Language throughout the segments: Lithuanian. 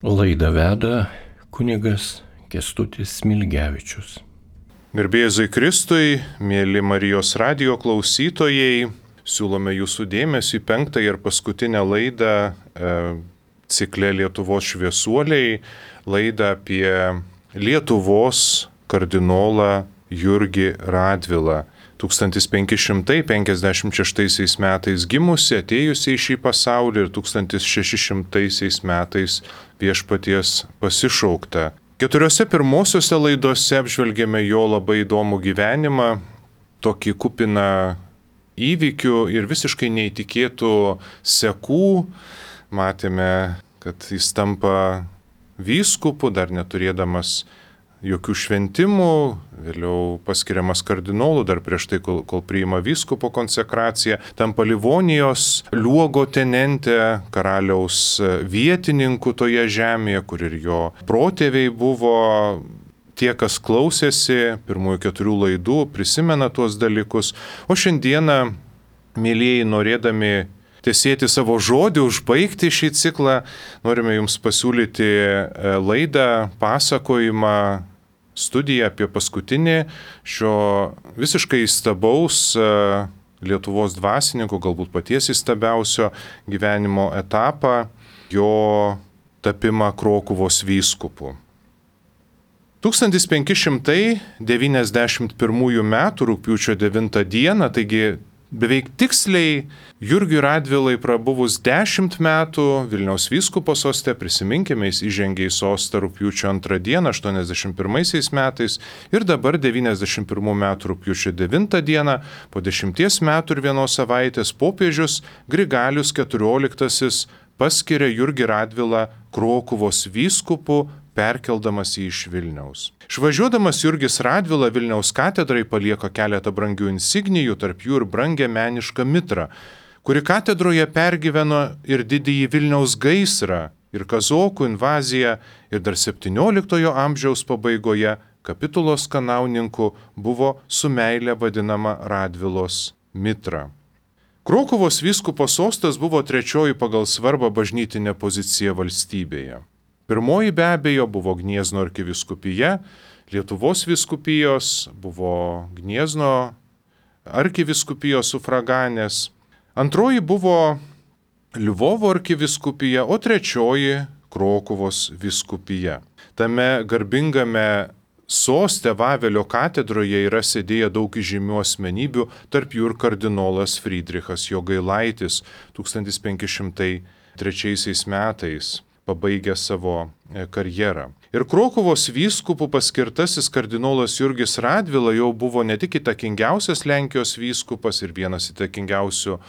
Laidą veda kunigas Kęstutis Smilgevičius. Garbėzui Kristui, mėly Marijos radijo klausytojai, siūlome jūsų dėmesį į 5. ir paskutinę laidą cikle Lietuvos šviesuoliai, laidą apie Lietuvos kardinolą Jurgį Radvilą. 1556 metais gimusi, atėjusi į šį pasaulį ir 1600 metais viešpaties pasišaukta. 4 pirmosiose laidose apžvelgėme jo labai įdomų gyvenimą, tokį kupiną įvykių ir visiškai neįtikėtų sekų. Matėme, kad jis tampa vyskupu, dar neturėdamas jokių šventimų, vėliau paskiriamas kardinolu, dar prieš tai, kol priima vyskupo konsekraciją, tampa Livonijos luogotenente, karaliaus vietininku toje žemėje, kur ir jo protėviai buvo. Tie, kas klausėsi pirmųjų 4 laidų, prisimena tuos dalykus. O šiandieną, mėlyjeji, norėdami tesėti savo žodį, užbaigti šį ciklą, norime jums pasiūlyti laidą, pasakojimą, studiją apie paskutinį šio visiškai įstabaus Lietuvos dvasininko, galbūt paties įstabiausio gyvenimo etapą, jo tapimą Krokuvos vyskupu. 1591 m. rugpjūčio 9 d., taigi beveik tiksliai Jurgiui Radvilai prabuvus 10 metų Vilniaus vyskupo soste, prisiminkime, jis įžengė į sostą rugpjūčio 2 d. 81 metais ir dabar 91 metų rugpjūčio 9 d. po 10 metų ir 1 savaitės popiežius Grigalius XIV paskiria Jurgį Radvilą Krokuvos vyskupu, perkeldamas jį iš Vilniaus. Išvažiuodamas Jurgis Radvila Vilniaus katedrai palieka keletą brangių insignijų, tarp jų ir brangią menišką mitrą, kuri katedroje pergyveno ir didįjį Vilniaus gaisrą, ir kazokų invaziją, ir dar 17 amžiaus pabaigoje Kapitulos kanauninku buvo su meile vadinama Radvilos mitra. Krokuvos vyskupo sostas buvo 3. pagal svarbą bažnytinė pozicija valstybėje. Pirmoji be abejo buvo Gniezno arkivyskupija, Lietuvos vyskupijos, buvo Gniezno arkivyskupijos sufraganės. Antroji buvo Lvovo arkivyskupija, o 3. Krokuvos vyskupija. Tame garbingame soste Vavelio katedroje yra sėdėję daug įžymių asmenybių, tarp jų ir kardinolas Frydrichas Jogailaitis 1503 metais. Pabaigė savo karjerą. Ir Krokuvos vyskupų paskirtasis kardinolas Jurgis Radvila jau buvo ne tik įtakingiausias Lenkijos vyskupas ir vienas įtakingiausių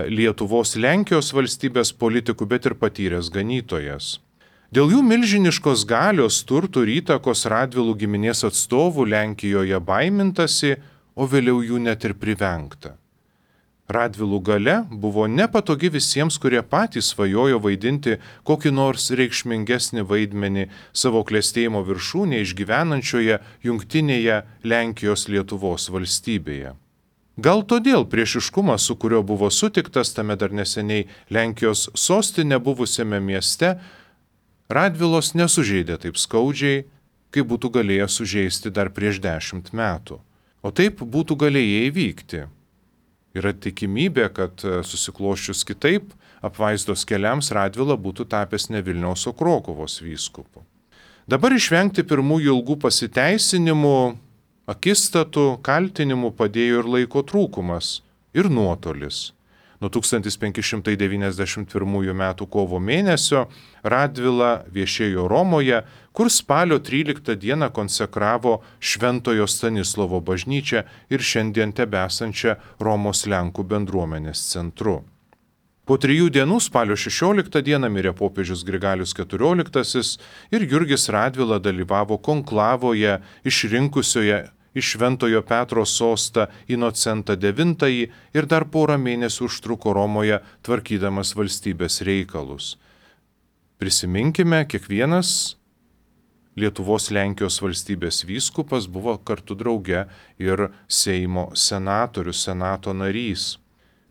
Lietuvos Lenkijos valstybės politikų, bet ir patyręs ganytojas. Dėl jų milžiniškos galios, turtų ir įtakos Radvilų giminės atstovų Lenkijoje baimintasi, o vėliau jų net ir privengta. Radvilų galia buvo nepatogi visiems, kurie patys svajojo vaidinti kokį nors reikšmingesnį vaidmenį savo klestėjimo viršūnėje išgyvenančioje jungtinėje Lenkijos Lietuvos valstybėje. Gal todėl priešiškumas, su kuriuo buvo sutiktas tame dar neseniai Lenkijos sostinė buvusiame mieste, Radvilos nesužeidė taip skaudžiai, kaip būtų galėję sužeisti dar prieš 10 metų. O taip būtų galėję įvykti. Yra tikimybė, kad susikloščius kitaip, apvaizdos keliams Radvila būtų tapęs ne Vilniaus, o Krokuvos vyskupu. Dabar išvengti pirmųjų ilgų pasiteisinimų, akistatų, kaltinimų padėjo ir laiko trūkumas, ir nuotolis. Nuo 1591 metų kovo mėnesio Radvila viešėjo Romoje, kur spalio 13 dieną konsekravo Šventojo Stanislovo bažnyčią ir šiandien tebesančią Romos Lenkų bendruomenės centru. Po 3 dienų spalio 16 dieną mirė popiežius Grigalius XIV ir Jurgis Radvila dalyvavo konklavoje išrinkusioje iš Šventojo Petro sostą Inocentą IX ir dar porą mėnesių užtruko Romoje tvarkydamas valstybės reikalus. Prisiminkime, kiekvienas Lietuvos Lenkijos valstybės vyskupas buvo kartu drauge ir Seimo senatorius, senato narys.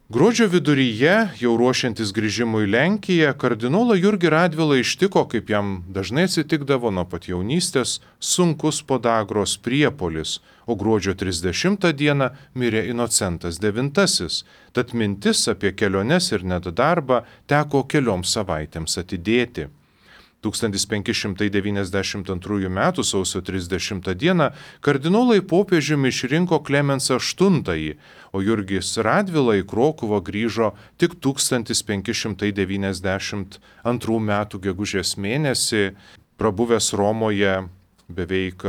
Gruodžio viduryje, jau ruošiantis grįžimui į Lenkiją, kardinolą Jurgį Radvilą ištiko, kaip jam dažnai atsitikdavo nuo pat jaunystės, sunkus podagros priepuolis, o gruodžio 30 dieną mirė Inocentas IX, tad mintis apie keliones ir net darbą teko kelioms savaitėms atidėti. 1592 m. sausio 30 d. kardinolai popiežiumi išrinko Klemensą VIII, o Jurgis Radvila į Krokuvą grįžo tik 1592 m. gegužės mėnesį, prabuvęs Romoje beveik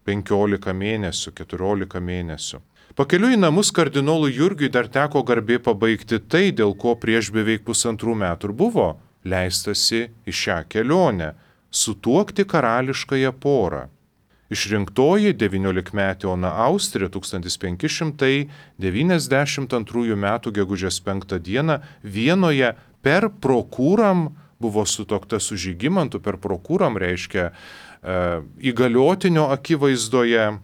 15 mėnesių, 14 mėnesių. Pakeliui į namus kardinolui Jurgiui dar teko garbė pabaigti tai, dėl ko prieš beveik 1,5 metų ir buvo leistasi į šią kelionę – sutuokti karališkąją porą. Išrinktoji 19-metė Ona Austrė 1592 m. gegužės 5 d. Vienoje per prokuram buvo sutuokta su Žygimantu, per prokuram reiškia įgaliotinio akivaizdoje.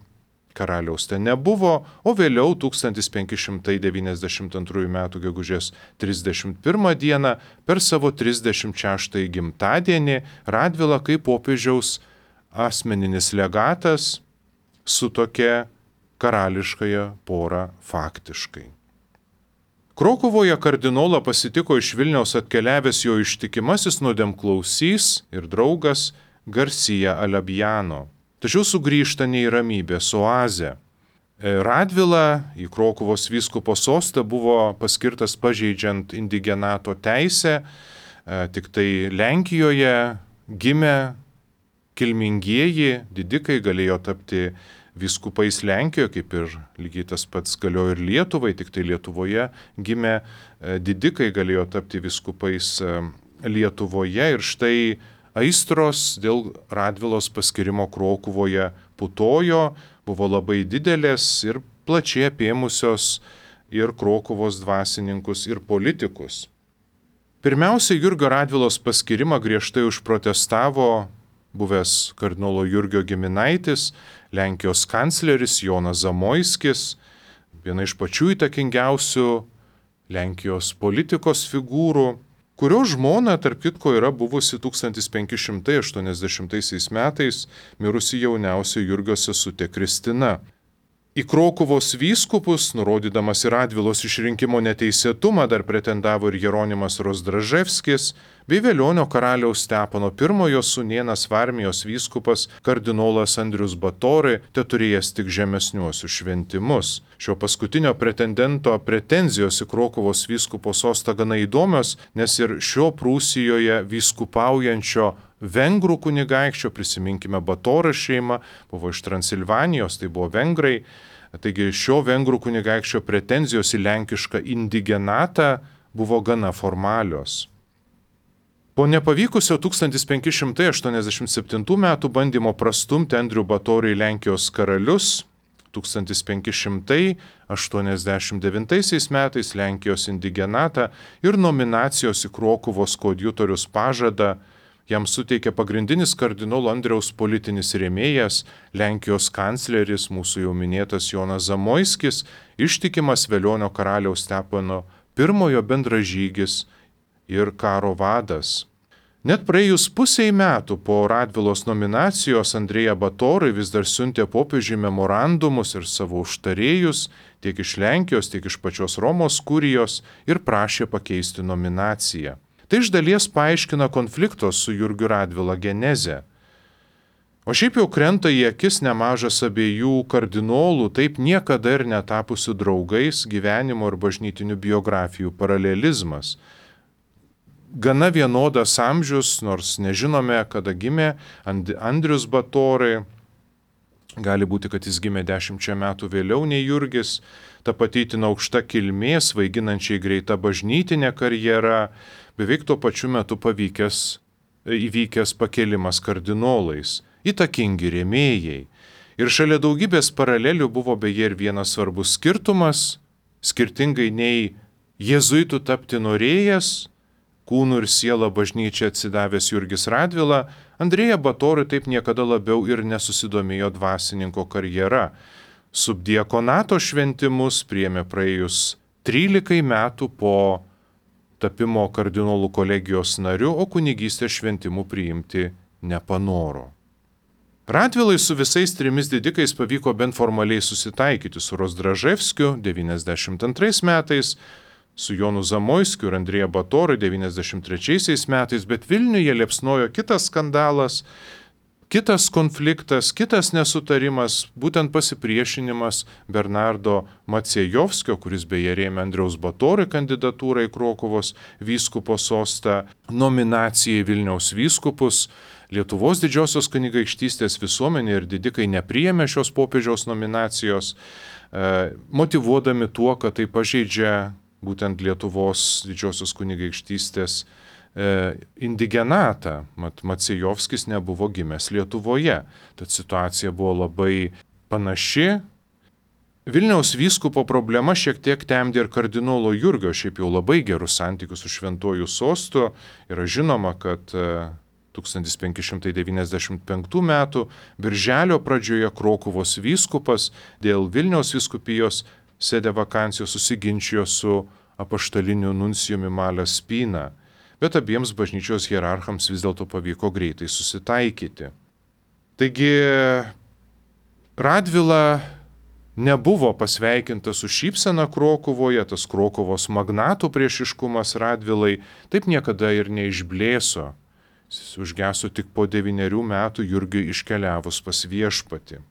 Karaliaus ten nebuvo, o vėliau 1592 m. gegužės 31 d. per savo 36 gimtadienį Radvila kaip popiežiaus asmeninis legatas sutuokė karališkąją porą faktiškai. Krokuvoje kardinolą pasitiko iš Vilniaus atkeliavęs jo ištikimasis nuodėmklausys ir draugas Garcia Alabjano. Tačiau sugrįžta ne į ramybės oazę. Radvila į Krokuvos vyskupo sostą buvo paskirtas pažeidžiant indigenato teisę, tik tai Lenkijoje gimę kilmingieji didikai galėjo tapti vyskupais Lenkijoje, kaip ir lygiai tas pats galiojo ir Lietuvai, tik tai Lietuvoje gimę didikai galėjo tapti vyskupais Lietuvoje ir štai aistros dėl Radvilos paskirimo Krokuvoje putojo, buvo labai didelės ir plačiai apėmusios ir Krokuvos dvasininkus ir politikus. Pirmiausia, Jurgio Radvilos paskirimą griežtai užprotestavo buvęs kardinolo Jurgio giminaitis, Lenkijos kancleris Jonas Zamoiskis, viena iš pačių įtakingiausių Lenkijos politikos figūrų, kurio žmona, tarp kitko, yra buvusi 1580 metais mirusi jauniausia Jurgio sesutė Kristina. Į Krokuvos vyskupus, nurodydamas į Radvilos išrinkimo neteisėtumą, dar pretendavo ir Jeronimas Rozdraževskis, bei Velionio karaliaus Stepono I sūnėnas Varmijos vyskupas kardinolas Andrius Batori, teturėjęs tik žemesniuosius šventimus. Šio paskutinio pretendento pretenzijos į Krokuvos vyskupo sostą gana įdomios, nes ir šio Prūsijoje vyskupaujančio vengrų kunigaikščio, prisiminkime Batorio šeimą, buvo iš Transilvanijos, tai buvo vengrai, taigi šio vengrų kunigaikščio pretenzijos į lenkišką indigenatą buvo gana formalios. Po nepavykusio 1587 metų bandymo prastumti Andrių Batorį į Lenkijos karalius, 1589 metais Lenkijos indigenatą ir nominacijos į Krokuvos koadjutorius pažadą jam suteikė pagrindinis kardinolo Andriaus politinis rėmėjas, Lenkijos kancleris, mūsų jau minėtas Jonas Zamoiskis, ištikimas Velionio karaliaus Stepono I bendražygis ir karo vadas. Net praėjus pusiai metų po Radvilos nominacijos Andrėja Batori vis dar siuntė popiežiui memorandumus ir savo užtarėjus tiek iš Lenkijos, tiek iš pačios Romos kurijos ir prašė pakeisti nominaciją. Tai iš dalies paaiškina konflikto su Jurgiu Radvila genezę. O šiaip jau krenta į akis nemažas abiejų kardinolų, taip niekada ir netapusių draugais gyvenimo ir bažnytinių biografijų paralelizmas. Gana vienodas amžius, nors nežinome, kada gimė Andrius Batori, gali būti, kad jis gimė 10 metų vėliau nei Jurgis, ta pati itin aukšta kilmė, svaiginančiai greita bažnytinė karjera, beveik tuo pačiu metu įvykęs pakėlimas kardinolais, įtakingi rėmėjai. Ir šalia daugybės paralelių buvo beje ir vienas svarbus skirtumas, skirtingai nei jėzuitų tapti norėjęs, kūnų ir sielą bažnyčia atsidavęs Jurgis Radvila, Andrėja Batori taip niekada labiau ir nesusidomėjo dvasininko karjera. Subdiakonato šventimus priėmė praėjus 13 metų po tapimo kardinolų kolegijos nariu, o kunigystės šventimų priimti nepanoro. Radvilai su visais 3 didikais pavyko bent formaliai susitaikyti su Rozdraževskiu 92 metais, su Jonu Zamoiskiu ir Andrėja Batoru 93 metais, bet Vilniuje liepsnojo kitas skandalas, kitas konfliktas, kitas nesutarimas, būtent pasipriešinimas Bernardo Maciejovskio, kuris beje rėmė Andriaus Batorio kandidatūrą į Krokuvos vyskupo sostą, nominacijai Vilniaus vyskupus. Lietuvos didžiosios kunigaikštystės visuomenė ir didikai nepriėmė šios popiežiaus nominacijos, motyvuodami tuo, kad tai pažeidžia būtent Lietuvos didžiosios kunigaikštystės indigenatą. Maciejovskis nebuvo gimęs Lietuvoje, tad situacija buvo labai panaši. Vilniaus vyskupo problema šiek tiek temdė ir kardinolo Jurgio, šiaip jau labai gerus santykius su šventuoju sostu. Yra žinoma, kad 1595 metų birželio pradžioje Krokuvos vyskupas dėl Vilniaus vyskupijos sede vakancijos susiginčijo su apaštaliniu nuncijumi Malio Spina, bet abiems bažnyčios hierarchams vis dėlto pavyko greitai susitaikyti. Taigi Radvila nebuvo pasveikintas su šypsena Krokuvoje, tas Krokuvos magnatų priešiškumas Radvilai taip niekada ir neišblėso. Jis užgeso tik po 9 metų Jurgiui iškeliavus pas viešpatį.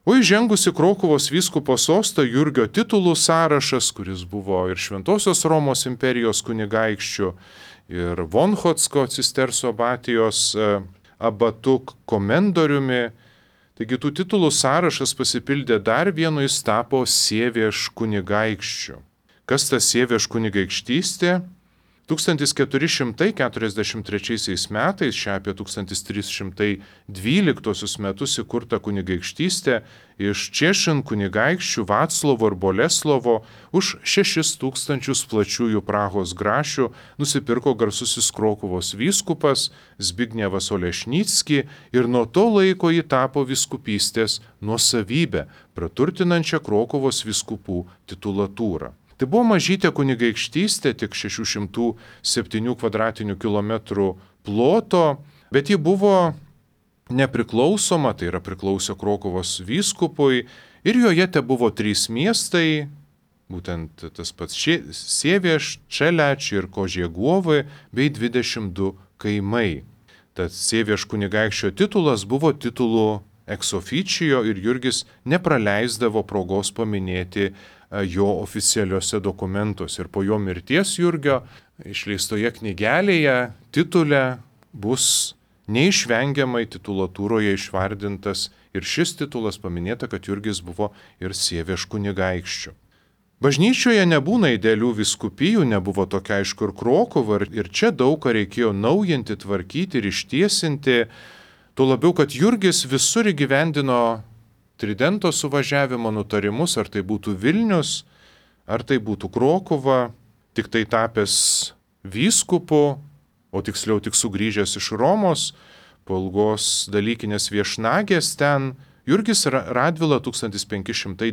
O įžengusi Krokuvos vyskupo sostą Jurgio titulų sąrašas, kuris buvo ir Šventosios Romos imperijos kunigaikščių, ir Vonchotsko cisterso abatijos abatu komendoriumi. Taigi tų titulų sąrašas pasipildė dar vienu, jis tapo Sievieš kunigaikščiu. Kas ta Sievieš kunigaikštystė? 1443 metais, šią apie 1312 metus įkurta kunigaikštystė iš Češin kunigaikščių Vaclovo ir Boleslovo už 6000 plačiųjų Prahos grašių nusipirko garsusis Krokuvos vyskupas Zbignevas Olešnicki ir nuo to laiko ji tapo vyskupystės nuosavybę, praturtinančią Krokuvos vyskupų titulatūrą. Tai buvo mažytė kunigaikštystė, tik 607 kvadratinių kilometrų ploto, bet ji buvo nepriklausoma, tai yra priklausė Krokuvos vyskupui ir joje te buvo 3 miestai, būtent tas pats Sievieš, Čeleč ir Kožieguovai bei 22 kaimai. Tad Sievieš kunigaikščio titulas buvo titulų ex officio ir Jurgis nepraleisdavo progos paminėti jo oficialiuose dokumentuose. Ir po jo mirties Jurgio išleistoje knygelėje titule bus neišvengiamai titulatūroje išvardintas ir šis titulas paminėta, kad Jurgis buvo ir Sievieš kunigaikščiu. Bažnyčioje nebūna idealių vyskupijų, nebuvo tokia aišku ir Krokuva, ir čia daug ką reikėjo naujinti, tvarkyti ir ištiesinti. Tuo labiau, kad Jurgis visur įgyvendino Tridento suvažiavimo nutarimus, ar tai būtų Vilnius, ar tai būtų Krokuva, tik tai tapęs vyskupu, o tiksliau tik sugrįžęs iš Romos, po ilgos dalykinės viešnagės ten, Jurgis Radvila 1593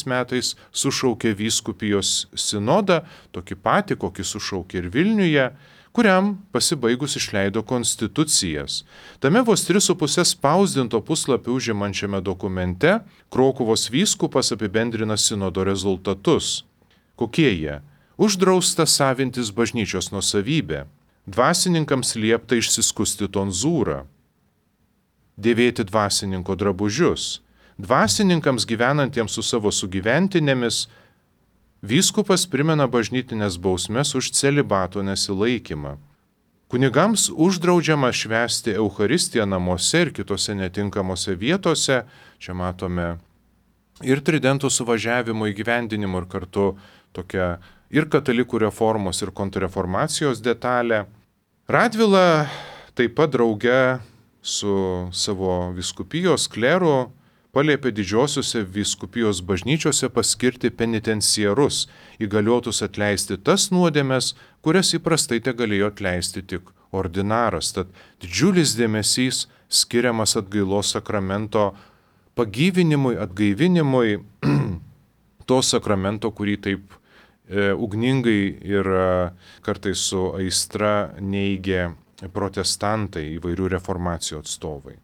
metais sušaukė vyskupijos sinodą, tokį patį, kokį sušaukė ir Vilniuje, kuriam pasibaigus išleido konstitucijas. Tame vos 3,5 spausdinto puslapio užimančiame dokumente Krokuvos vyskupas apibendrina sinodo rezultatus. Kokie jie? Uždrausta savintis bažnyčios nuosavybė, dvasininkams liepta išsiskusti tonzūrą, dėvėti dvasininko drabužius, dvasininkams gyvenantiems su savo sugyventinėmis vyskupas primena bažnytinės bausmes už celibato nesilaikymą. Kunigams uždraudžiama švęsti Eucharistiją namuose ir kitose netinkamose vietose. Čia matome ir Tridento suvažiavimo įgyvendinimo ir kartu tokia ir katalikų reformos ir kontrreformacijos detalė. Radvila taip pat drauge su savo vyskupijos kleru paliepė didžiosiuose vyskupijos bažnyčiose paskirti penitenciarus, įgaliotus atleisti tas nuodėmes, kurias įprastai te galėjo atleisti tik ordinaras. Tad didžiulis dėmesys skiriamas atgailos sakramento pagyvinimui, atgaivinimui. to sakramento, kurį taip ugningai ir kartais su aistra neigė protestantai, įvairių reformacijų atstovai.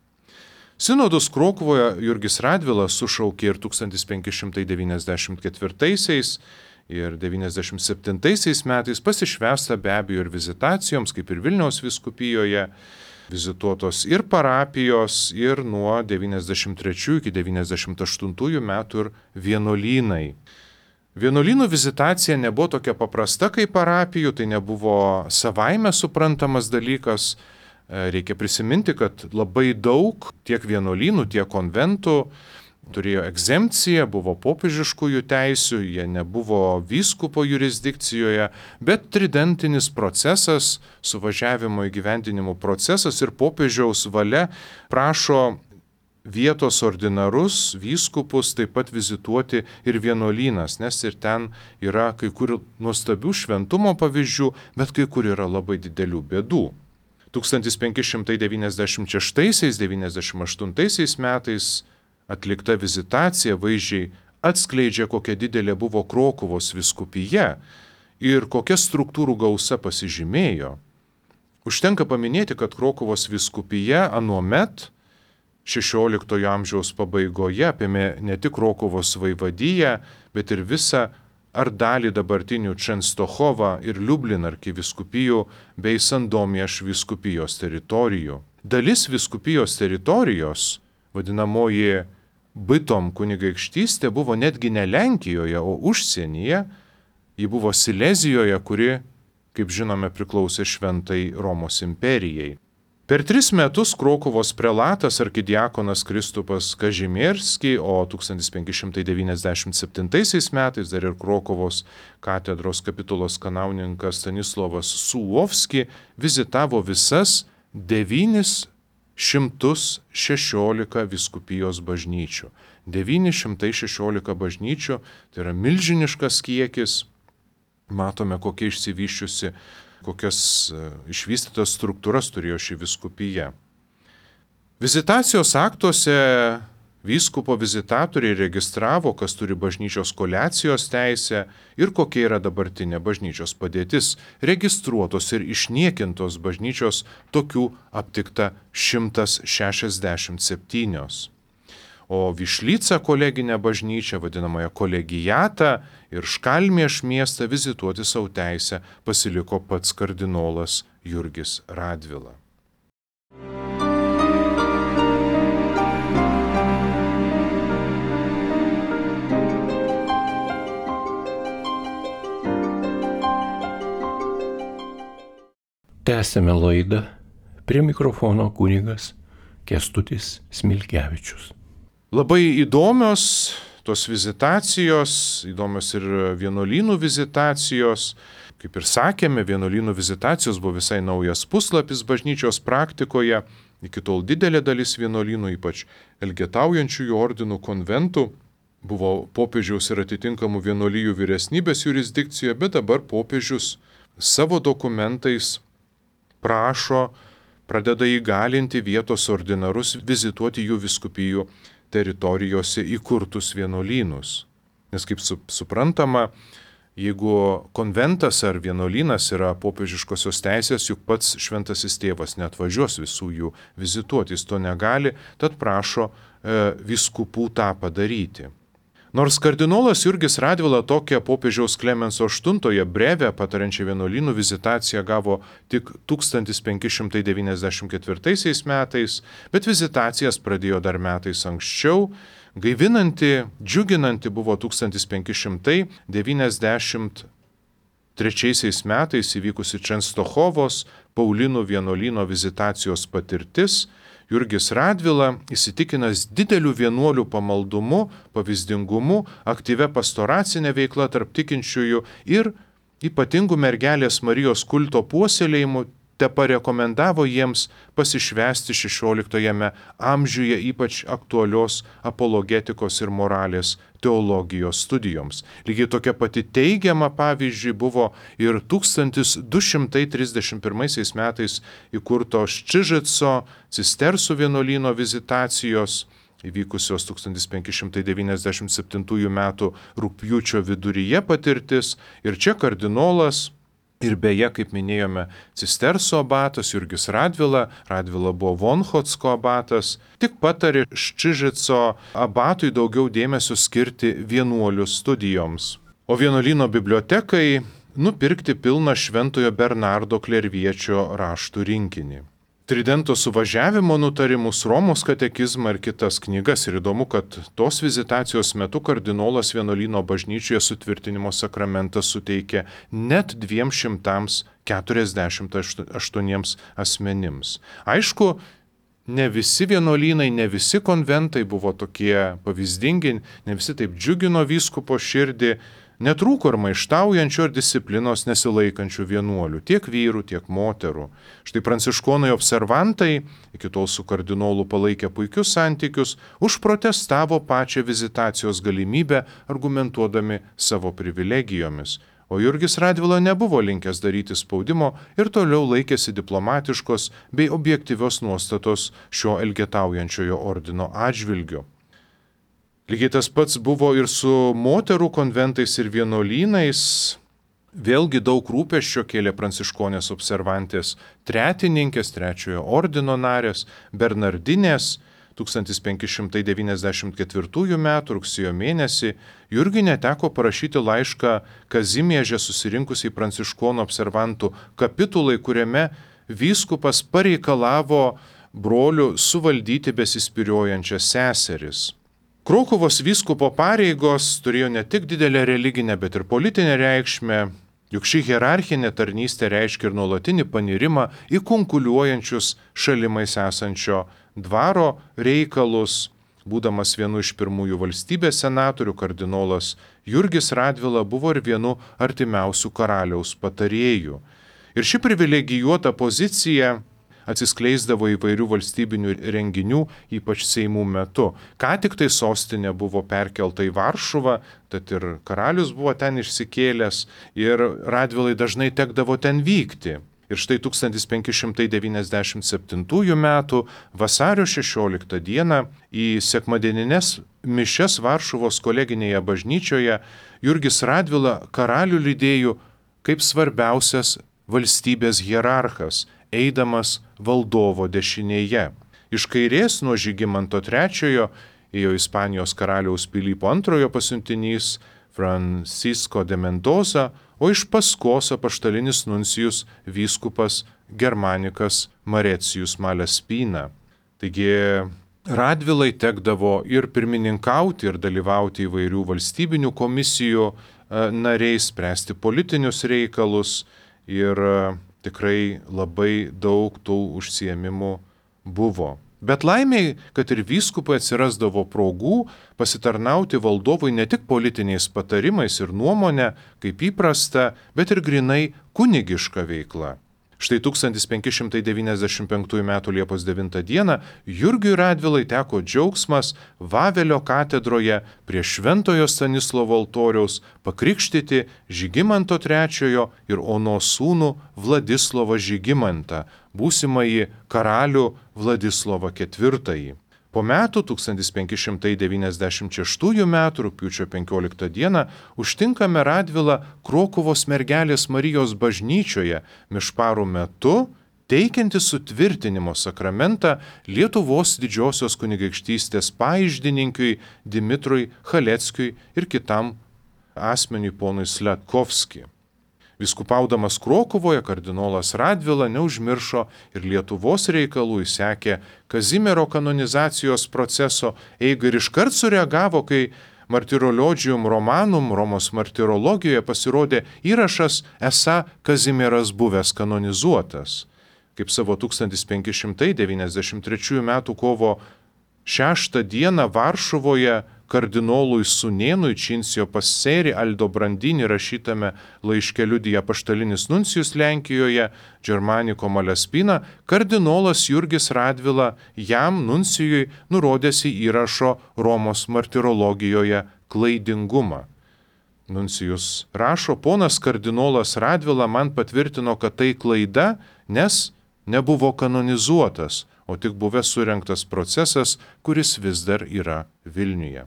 Sinodus Krokuvoje Jurgis Radvilas sušaukė ir 1594 ir 97 metais, pasišvęsta be abejo ir vizitacijoms, kaip ir Vilniaus vyskupijoje, vizituotos ir parapijos, ir nuo 93 iki 98 metų ir vienuolynai. Vienuolynų vizitacija nebuvo tokia paprasta kaip parapijų, tai nebuvo savaime suprantamas dalykas. Reikia prisiminti, kad labai daug tiek vienuolynų, tiek konventų turėjo egzempciją, buvo popiežiškųjų teisių, jie nebuvo vyskupo jurisdikcijoje, bet tridentinis procesas, suvažiavimo įgyvendinimo procesas ir popiežiaus valia prašo vietos ordinarus, vyskupus taip pat vizituoti ir vienuolynas, nes ir ten yra kai kur nuostabių šventumo pavyzdžių, bet kai kur yra labai didelių bėdų. 1596-98 metais atlikta vizitacija vaizdžiai atskleidžia, kokia didelė buvo Krokuvos vyskupija ir kokia struktūrų gausa pasižymėjo. Užtenka paminėti, kad Krokuvos vyskupija anuomet 16 amžiaus pabaigoje apėmė ne tik Krokuvos vaivadiją, bet ir visą ar dalį dabartinių Čenstochovą ir Liublin arkivyskupijų bei Sandomieš vyskupijos teritorijų. Dalis vyskupijos teritorijos, vadinamoji Bytom kunigaikštystė, buvo netgi ne Lenkijoje, o užsienyje. Ji buvo Silezijoje, kuri, kaip žinome, priklausė Šventai Romos imperijai. Per 3 metus Krokuvos prelatas arkidiakonas Kristupas Kažimierski, o 1597 metais dar ir Krokuvos katedros kapitulos kanauninkas Stanislovas Sulovski vizitavo visas 916 vyskupijos bažnyčių. 916 bažnyčių, tai yra milžiniškas kiekis. Matome, kokia išsivyščiusi, kokias išvystytas struktūras turėjo ši vyskupija. Vizitacijos aktuose vyskupo vizitatoriai registravo, kas turi bažnyčios koleacijos teisę ir kokia yra dabartinė bažnyčios padėtis. Registruotos ir išniekintos bažnyčios tokių aptikta 167. O Višlyca koleginę bažnyčią, vadinamąją kolegijatą ir Škalmieš miestą vizituoti savo teisę pasiliko pats kardinolas Jurgis Radvila. Tęsėme laidą, prie mikrofono kunigas Kęstutis Smilgevičius. Labai įdomios tos vizitacijos, įdomios ir vienuolynų vizitacijos. Kaip ir sakėme, vienuolynų vizitacijos buvo visai naujas puslapis bažnyčios praktikoje. Iki tol didelė dalis vienuolynų, ypač elgetaujančiųjų ordinų konventų, buvo popiežiaus ir atitinkamų vienuolijų vyresnybės jurisdikcijoje, bet dabar popiežius savo dokumentais prašo, pradeda įgalinti vietos ordinarus vizituoti jų vyskupijų teritorijose įkurtus vienuolynus. Nes kaip suprantama, jeigu konventas ar vienuolynas yra popiežiškosios teisės, juk pats šventasis tėvas neatvažiuos visų jų vizituoti, jis to negali, tad prašo vyskupų tą padaryti. Nors kardinolas Jurgis Radvila tokią popiežiaus Klemenso VIII brevę patarančią vienuolynų vizitaciją gavo tik 1594 metais, bet vizitacijas pradėjo dar metais anksčiau. Gaivinanti, džiuginanti buvo 1593 metais įvykusi Čenstochovos Paulinų vienuolyno vizitacijos patirtis. Jurgis Radvila, įsitikinęs dideliu vienuolių pamaldumu, pavyzdingumu, aktyvia pastoracinė veikla tarp tikinčiųjų ir ypatingų mergelės Marijos kulto puoselėjimu, teparekomendavo jiems pasišvęsti 16 amžiuje ypač aktualios apologetikos ir moralės teologijos studijoms. Lygiai tokia pati teigiama, pavyzdžiui, buvo ir 1231 metais įkurto Ščižico cistersų vienuolyno vizitacijos. įvykusios 1597 m. rugpjūčio viduryje patirtis. Ir čia kardinolas ir beje, kaip minėjome, Cisterso abatas Jurgis Radvila buvo Vonchotsko abatas, tik patarė Ščižico abatui daugiau dėmesio skirti vienuolių studijoms. O vienuolyno bibliotekai nupirkti pilną Šventojo Bernardo Klerviečio raštų rinkinį. Tridento suvažiavimo nutarimus, Romos katekizmą ir kitas knygas. Ir įdomu, kad tos vizitacijos metu kardinolas vienuolyno bažnyčioje sutvirtinimo sakramentą suteikė net 248 asmenims. Aišku, ne visi vienuolynai, ne visi konventai buvo tokie pavyzdingi, ne visi taip džiugino vyskupo širdį. Netrūko ir maištaujančių ar disciplinos nesilaikančių vienuolių, tiek vyrų, tiek moterų. Štai pranciškonai observantai, iki tol su kardinolu palaikė puikius santykius, užprotestavo pačią vizitacijos galimybę, argumentuodami savo privilegijomis. O Jurgis Radvila nebuvo linkęs daryti spaudimo ir toliau laikėsi diplomatiškos bei objektyvios nuostatos šio elgetaujančiojo ordino atžvilgiu. Lygiai tas pats buvo ir su moterų konventais ir vienuolynais. Vėlgi daug rūpesčio kėlė pranciškonės observantės tretininkės, trečiojo ordino narės, Bernardinės. 1594 m. rugsėjo mėnesį Jurgiui neteko parašyti laišką Kazimieže susirinkusiai pranciškonų observantų kapitulai, kuriame vyskupas pareikalavo brolių suvaldyti besispyriojančias seseris. Krokuvos vyskupo pareigos turėjo ne tik didelę religinę, bet ir politinę reikšmę, juk ši hierarchinė tarnystė reiškia ir nuolatinį panirimą į kunkuliuojančius šalimais esančio dvaro reikalus. Būdamas vienu iš pirmųjų valstybės senatorių, kardinolas Jurgis Radvila buvo ir vienu artimiausių karaliaus patarėjų. Ir ši privilegijuota pozicija atsiskleisdavo įvairių valstybinių renginių, ypač seimų metu. Ką tik tai sostinė buvo perkelta į Varšuvą, tad ir karalius buvo ten išsikėlęs ir Radvilai dažnai tekdavo ten vykti. Ir štai 1597 m. vasario 16 d. į sekmadieninės mišias Varšuvos koleginėje bažnyčioje Jurgis Radvila karalių lydėjo kaip svarbiausias valstybės hierarchas, eidamas valdovo dešinėje. Iš kairės nuo Žygimanto III ėjo Ispanijos karaliaus Pilypo II pasiuntinys Francisco de Mendoza, o iš paskos apaštalinis nuncijus vyskupas Germanikas Marecijus Malaspina. Taigi Radvilai tekdavo ir pirmininkauti, ir dalyvauti įvairių valstybinių komisijų nariais, spręsti politinius reikalus ir tikrai labai daug tų užsiėmimų buvo. Bet laimiai, kad ir vyskupai atsirasdavo progų pasitarnauti valdovui ne tik politiniais patarimais ir nuomonę, kaip įprasta, bet ir grinai kunigiška veikla. Štai 1595 m. Liepos 9 d. Jurgiui Radvilai teko džiaugsmas Vavelio katedroje prie Šventojo Stanislovo altoriaus pakrikštyti Žygimanto III ir Onos sūnų Vladislovą Žygimantą, būsimąjį karalių Vladislovą IV. Po metų 1596 m. rugpjūčio 15 d. užtinkame Radvilą Krokuvos mergelės Marijos bažnyčioje mišparų metu, teikianti sutvirtinimo sakramentą Lietuvos didžiosios kunigaikštystės paiždininkiui Dimitrui Chaleckiui ir kitam asmeniui ponui Sletkovskiui. Vyskupaudamas Krokuvoje kardinolas Radvila neužmiršo ir Lietuvos reikalų, jis sekė Kazimiero kanonizacijos proceso eigą ir iškart sureagavo, kai Martyrologium Romanum Romos martyrologijoje pasirodė įrašas, esą Kazimieras buvęs kanonizuotas. Kaip savo 1593 m. kovo 6 d. Varšuvoje kardinolui sūnėnui Činsio Passeri Aldobrandini rašytame laiške liudija apaštalinis nuncijus Lenkijoje Germanico Malaspina, kardinolas Jurgis Radvila jam nuncijui nurodėsi įrašo Romos martyrologijoje klaidingumą. Nuncijus rašo, ponas kardinolas Radvila man patvirtino, kad tai klaida, nes nebuvo kanonizuotas, o tik buvęs surengtas procesas, kuris vis dar yra Vilniuje.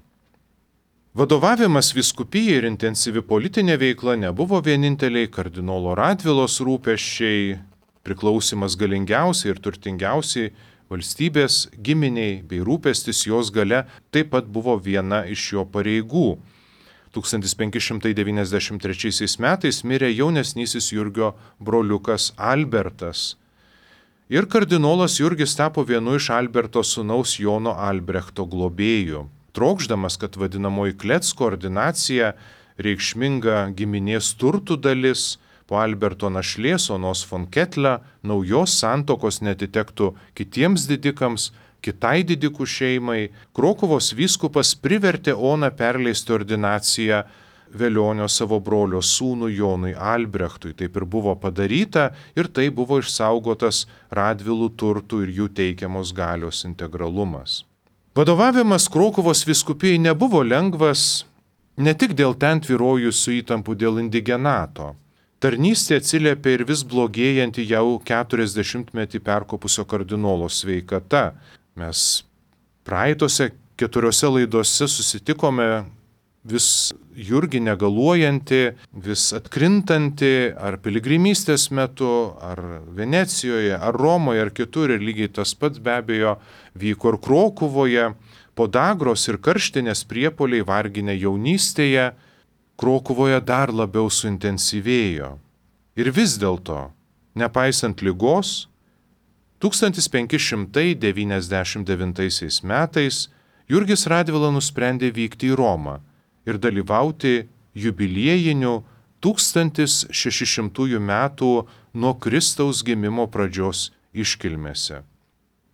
Vadovavimas vyskupijai ir intensyvi politinė veikla nebuvo vieninteliai kardinolo Radvilos rūpesčiai, priklausimas galingiausiai ir turtingiausiai valstybės giminiai bei rūpestis jos gale taip pat buvo viena iš jo pareigų. 1593 metais mirė jaunesnysis Jurgio broliukas Albertas. Ir kardinolas Jurgis tapo vienu iš Alberto sūnaus Jono Albrechto globėjų. Trokšdamas, kad vadinamoji Klecko ordinacija, reikšminga giminės turtų dalis, po Alberto našlės Onos von Kettler naujos santokos netitektų kitiems didikams, kitai didikų šeimai, Krokuvos vyskupas privertė Oną perleisti ordinaciją Velionio savo brolio sūnui Jonui Albrechtui. Taip ir buvo padaryta ir tai buvo išsaugotas Radvilų turtų ir jų teikiamos galios integralumas. Vadovavimas Krokuvos vyskupijai nebuvo lengvas ne tik dėl ten tvyrojusių įtampų dėl indigenato. Tarnystė atsiliepė ir vis blogėjanti jau 40-metį perkopusio kardinolo sveikata. Mes praeitose 4 laidose susitikome vis Jurgį negaluojanti, vis atkrintanti ar piligrimystės metu, ar Venecijoje, ar Romoje, ar kitur, ir lygiai tas pats be abejo vyko ir Krokuvoje, podagros ir karštinės priepuoliai varginę jaunystėje, Krokuvoje dar labiau suintensyvėjo. Ir vis dėlto, nepaisant ligos, 1599 metais Jurgis Radvila nusprendė vykti į Romą ir dalyvauti jubiliejinių 1600 metų nuo Kristaus gimimo pradžios iškilmėse.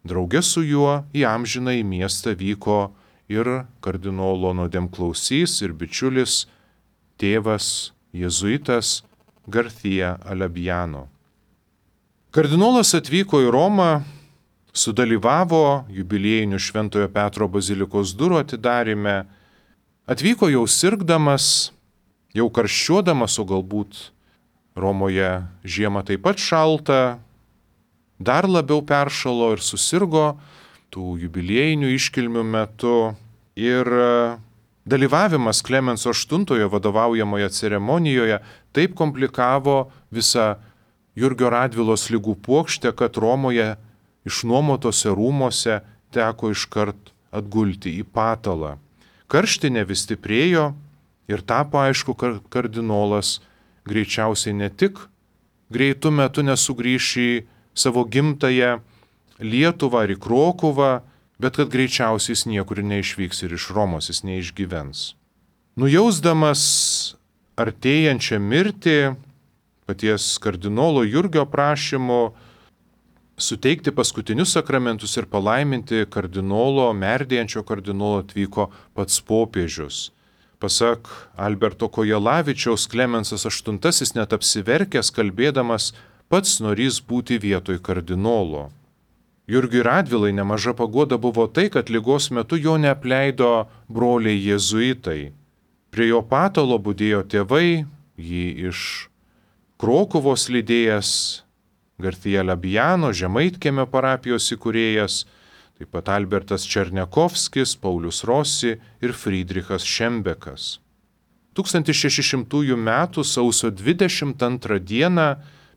Drauge su juo į amžinąjį miestą vyko ir kardinolo nuodėmklausys ir bičiulis tėvas jėzuitas Garcia Alabiano. Kardinolas atvyko į Romą, sudalyvavo jubiliejinių Šventojo Petro bazilikos durų atidaryme, atvyko jau sirgdamas, jau karščiuodamas, o galbūt Romoje žiema taip pat šalta, dar labiau peršalo ir susirgo tų jubiliejinių iškilmių metu ir dalyvavimas Klemenso VIII vadovaujamoje ceremonijoje taip komplikavo visą Jurgio Radvilos ligų puokštę, kad Romoje išnuomotose rūmose teko iškart atgulti į patalą. Karštinė vis stiprėjo ir tapo aišku, kad kardinolas greičiausiai ne tik greitų metų nesugrįš į savo gimtąją Lietuvą ar į Krokuvą, bet kad greičiausiai jis niekur neišvyks ir iš Romos jis neišgyvens. Nujausdamas artėjančią mirtį, paties kardinolo Jurgio prašymu suteikti paskutinius sakramentus ir palaiminti kardinolo, merdėjančio kardinolo atvyko pats popiežius. Pasak Alberto Kojelavičiaus, Klemensas VIII net apsiverkęs kalbėdamas pats norės būti vietoj kardinolo. Jurgiui Radvilai nemaža paguoda buvo tai, kad ligos metu jo neapleido broliai jėzuitai. Prie jo patalo budėjo tėvai, jį iš Krokuvos lydėjęs Garcia Alabiano, Žemaitkiemio parapijos įkūrėjas, taip pat Albertas Černiakovskis, Paulius Rossi ir Friedrichas Šembekas. 1600 m. sausio 22 d.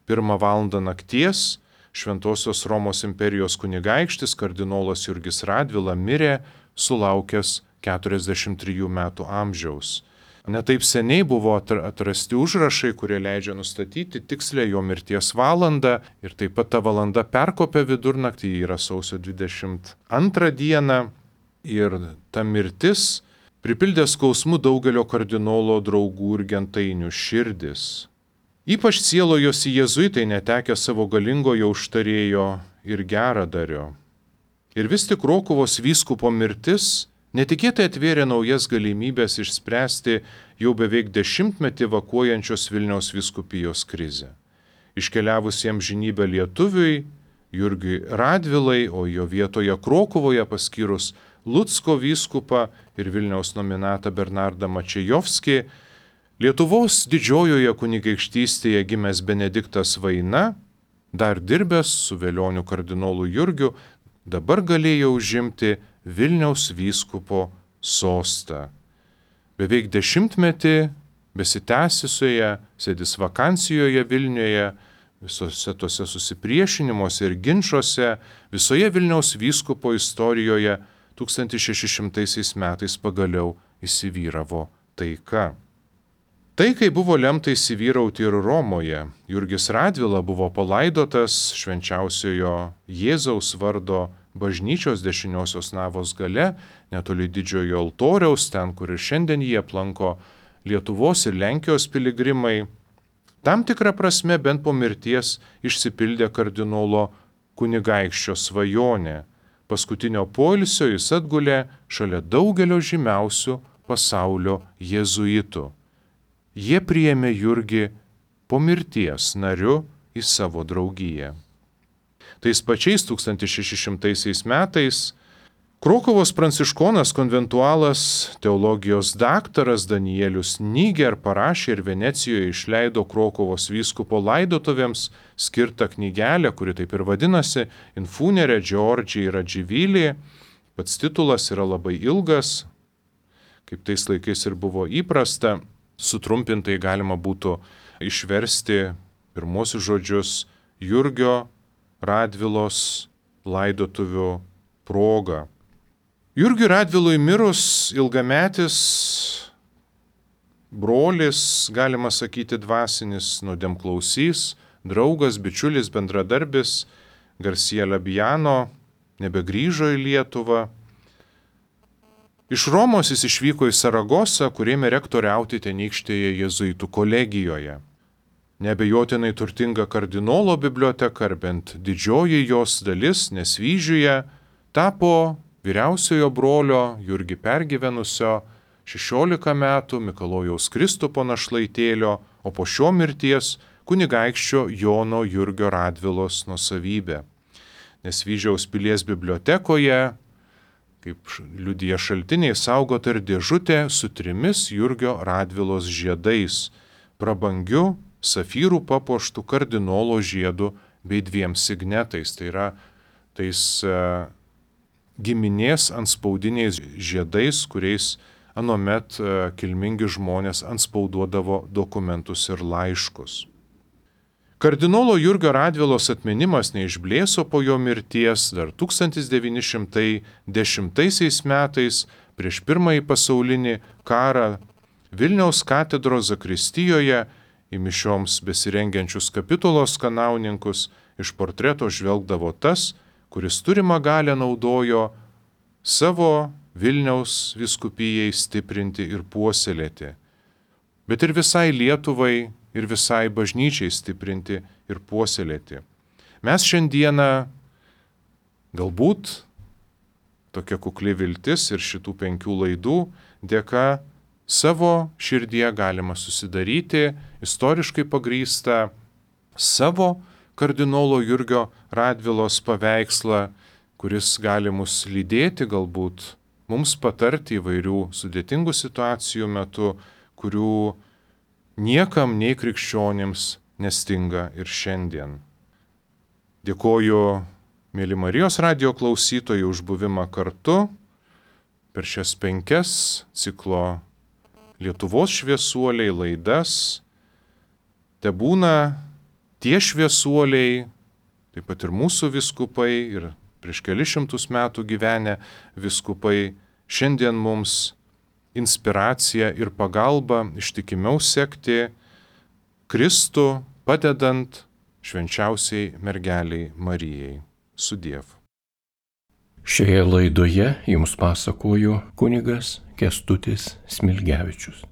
1 val. Nakties Šventosios Romos imperijos kunigaikštis kardinolas Jurgis Radvila mirė, sulaukęs 43 metų amžiaus. Netaip seniai buvo atrasti užrašai, kurie leidžia nustatyti tikslę jo mirties valandą ir taip pat ta valanda perkopė vidurnaktį, yra sausio 22 dieną ir ta mirtis pripildė skausmų daugelio kardinolo draugų ir gentainių širdis. Ypač sielojosi jėzuitai netekę savo galingojo užtarėjo ir geradario. Ir vis tik Krokuvos vyskupo mirtis netikėtai atvėrė naujas galimybės išspręsti jau beveik 10-metį vakuojančios Vilniaus vyskupijos krizę. Iškeliavus į amžinybę lietuviui, Jurgiui Radvilai, o jo vietoje Krokuvoje paskyrus Lucko vyskupą ir Vilniaus nominatą Bernardą Mačejovskį, Lietuvos didžiojoje kunigaikštystėje gimęs Benediktas Vaina, dar dirbęs su velioniu kardinolu Jurgiu, dabar galėjo užimti Vilniaus vyskupo sostą. Beveik 10-metį besitęsiusioje sedis vakancijoje Vilniuje, visose tose susipriešinimuose ir ginčiuose, visoje Vilniaus vyskupo istorijoje 1600 metais pagaliau įsivyravo taika. Taikai buvo lemta įsivyrauti ir Romoje. Jurgis Radvila buvo palaidotas švenčiausiojo Jėzaus vardo bažnyčios dešiniosios navos gale, netoli didžiojo altoriaus, ten, kur ir šiandien jie aplanko Lietuvos ir Lenkijos piligrimai. Tam tikrą prasme bent po mirties išsipildė kardinolo kunigaikščio svajonė. Paskutinio poilsio jis atgulė šalia daugelio žymiausių pasaulio jėzuitų. Jie priėmė Jurgį po mirties nariu į savo draugiją. Tais pačiais 1600 metais Krokuvos pranciškonas konventualas, teologijos daktaras Danielius Niger parašė ir Venecijoje išleido Krokuvos vyskupo laidotuvėms skirtą knygelę, kuri taip ir vadinasi Infunere Georgii Radživili. Pats titulas yra labai ilgas, kaip tais laikais ir buvo įprasta. Sutrumpintai galima būtų išversti pirmosius žodžius Jurgio Radvilos laidotuvių proga. Jurgiui Radvilui mirus ilgametis brolis, galima sakyti dvasinis, nuodėmklausys, draugas, bičiulis, bendradarbis Garcia Labiano nebegrįžo į Lietuvą. Iš Romos jis išvyko į Saragosą, kur ėmė rektoriauti tenykštėje jėzuitų kolegijoje. Neabejotinai turtinga kardinolo biblioteka, ar bent didžioji jos dalis, Nesvyžiuje, tapo vyriausiojo brolio Jurgį pergyvenusio 16 metų Mikalojaus Kristupo našlaitėlio, o po šio mirties kunigaikščio Jono Jurgio Radvilos nuosavybė. Nesvyžiaus pilies bibliotekoje, kaip liudija šaltiniai, saugota ir dėžutė su 3 Jurgio Radvilos žiedais, prabangiu safyrų papuoštų kardinolo žiedu bei 2 signetais. Tai yra tais giminės anspaudiniais žiedais, kuriais anuomet kilmingi žmonės anspauduodavo dokumentus ir laiškus. Kardinolo Jurgio Radvilos atminimas neišblėso po jo mirties. Dar 1910 metais prieš Pirmąjį pasaulinį karą Vilniaus katedros zakristijoje į mišioms besirengiančius kapitulos kanauninkus iš portreto žvelgdavo tas, kuris turimą galią naudojo savo Vilniaus vyskupijai stiprinti ir puoselėti, bet ir visai Lietuvai ir visai bažnyčiai stiprinti ir puoselėti. Mes šiandieną, galbūt tokia kukli viltis ir šitų 5 laidų dėka savo širdyje galima susidaryti istoriškai pagrįstą savo kardinolo Jurgio Radvilos paveikslą, kuris gali mus lydėti, galbūt mums patarti įvairių sudėtingų situacijų metu, kurių niekam nei krikščionims nestinga ir šiandien. Dėkoju, mėly Marijos radijo klausytojai, už buvimą kartu per šias 5 ciklo Lietuvos šviesuoliai laidas. Tebūna tie šviesuoliai, taip pat ir mūsų vyskupai, ir prieš kelius šimtus metų gyvenę vyskupai, šiandien mums inspiracija ir pagalba ištikimiau sekti Kristų, padedant švenčiausiai mergeliai Marijai. Sudiev. Šioje laidoje jums pasakojo kunigas Kęstutis Smilgevičius.